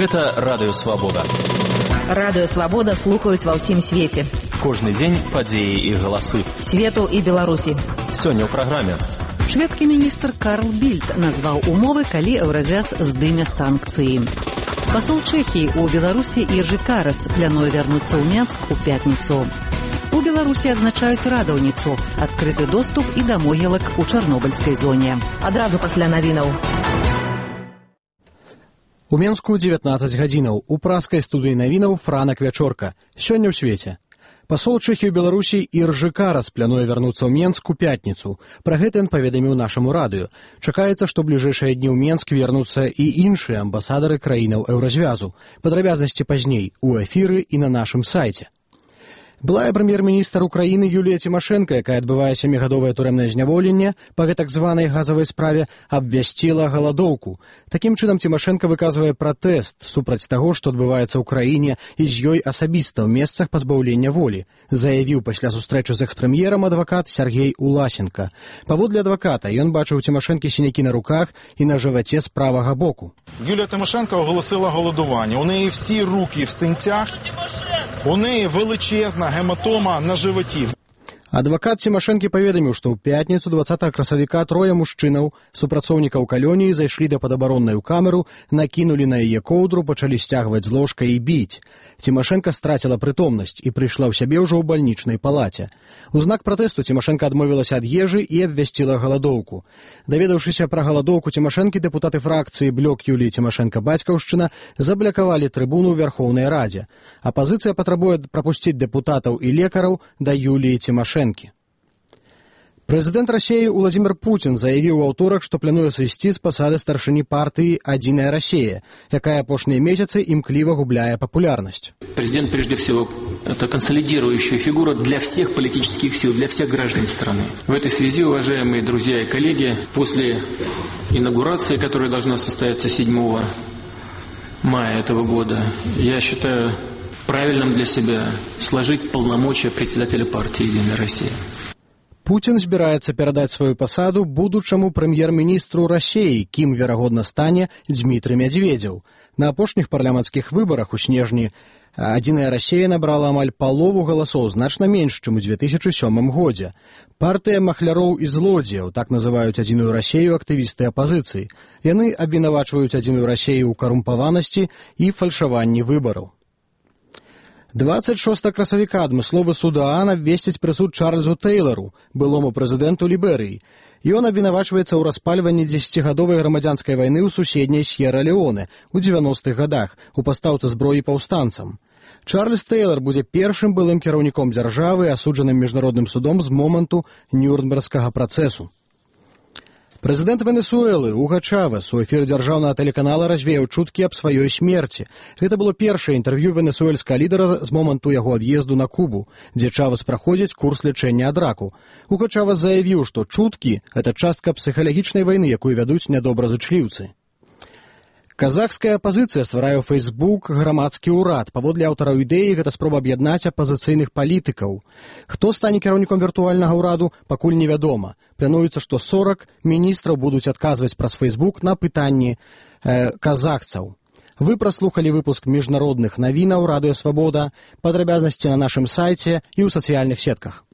Гэта Радыё Свабода. Радыё Свабода слухаюць ва ўсім свеце. Кожны дзень падзеі і галасы Свету і Беларусі. Сёння ў праграме. Шведскі міністр Карл Більд назваў умовы, калі Еўразвяз здыме санкцыі. Пасол Чэхіі ў Беларусі Іржы Карас плануе вярнуцца ў Менск у пятніцу. У Беларусі адзначаюць радаўніцу, адкрыты доступ і да могілак у чарнобыльскай зоне. Адразу пасля навінаў. У Менску 19 гадзінаў. У праскай студыі навінаў Франак Вячорка. Сёння ў свеце. Пасол Чэхіі ў Беларусі Іржы Карас плануе вярнуцца ў Менск у пятніцу. Пра гэта ён паведаміў нашаму радыё. Чакаецца, што бліжэйшыя дні ў Менск вернуцца і іншыя амбасадары краінаў Еўразвязу. Падрабязнасці пазней у эфіры і на нашым сайце. Былая прэм'ер-міністр Украіны Юлія Тимошенко, якая адбывае 7-гадовае турэмнае зняволенне па гэтак званай газавай справе, абвясціла галадоўку. Такім чынам Тимошенко выказвае пратэст супраць таго, што адбываецца ў краіне і з ёй асабіста ў месцах пазбаўлення волі, заявіў пасля сустрэчы з экс-прэм'ерам адвакат Сергей Уласенко. Паводле адваката, ён бачыў у Тимошенкі сінякі на руках і на жываце з правага боку. Юлія Тимошенко оголосила голодування. У неї всі руки в синцях. У неї величезна гематома на животі. Адвакат Тимошенкі паведаміў, што ў пятніцу 20 красавіка трое мужчынаў, супрацоўнікаў калоніі, зайшлі да падабароннай у камеру, накінулі на яе коўдру, пачалі сцягваць з ложка і біць. Тимошенко страціла прытомнасць і прыйшла ў сябе ўжо ў бальнічнай палаце. У знак пратэсту Тимошенко адмовілася ад ежы і абвясціла галадоўку. Даведаўшыся пра галадоўку Тимошенкі, дэпутаты фракцыі «Блок» Юліі Тимошенко-Бацькаўшчына заблакавалі трыбуну ў Верхоўнай Радзе. Апазіцыя патрабуе прапусціць дэпутатаў і лекараў да Юліі Тимошенко. Прэзідэнт Расіі Владимир Путин заявіў у аўторак, што плануе сысці з пасады старшыні партыі «Адзіная Расія», якая апошнія месяцы імкліва губляе папулярнасць. Президент, прежде всего, это консолидирующая фигура для всех политических сил, для всех граждан страны. В этой связи, уважаемые друзья и коллеги, после инаугурации, которая должна состояться 7 мая этого года, я считаю правильным для себя сложить полномочия председателя партии «Единая Россия». Путин збіраецца перадаць сваю пасаду будучаму прэм'ер-міністру Расіі, кім, верагодна, стане Дмітрый Медведзеў. На апошніх парламенцкіх выбарах у снежні «Адзіная Расія» набрала амаль палову галасоў, значна менш, чым у 2007 годзе. Партыя махляроў і злодзеяў, так называюць «Адзіную Расію» актывісты апазіцыі. Яны абвінавачваюць «Адзіную Расію» ў карумпаванасці і фальшаванні выбараў. 26 красавіка адмысловы суд ААН абвесціць прысуд Чарльзу Тэйлару, былому прэзідэнту Ліберыі. Ён абвінавачваецца ў распальванні 10-гадовай грамадзянскай вайны ў суседняй С'ера-Леоне ў 90-х гадах у пастаўцы зброі паўстанцам. Чарльз Тэйлар будзе першым былым кіраўніком дзяржавы, асуджаным міжнародным судом з моманту Нюрнбергскага працэсу. Прэзідэнт Венесуэлы Уго Чавес у эфіры дзяржаўнага тэлеканала развеяў чуткі аб сваёй смерці. Гэта было першае інтэрв'ю венесуэльскага лідара з моманту яго ад'езду на Кубу, дзе Чавес праходзіць курс лячэння ад раку. Уго Чавес заявіў, што чуткі – гэта частка псіхалагічнай вайны, якую вядуць нядобразычліўцы. Казахская апазіцыя стварае ў Facebook грамадскі ўрад. Паводле аўтараў ідэі, гэта спроба аб'яднаць апазіцыйных палітыкаў. Хто стане кіраўніком віртуальнага ўраду, пакуль невядома. Плануецца, што 40 міністраў будуць адказваць праз Facebook на пытанні казахцаў. Вы праслухалі выпуск міжнародных навінаў Радыё Свабода. Падрабязнасці на нашым сайце і ў сацыяльных сетках.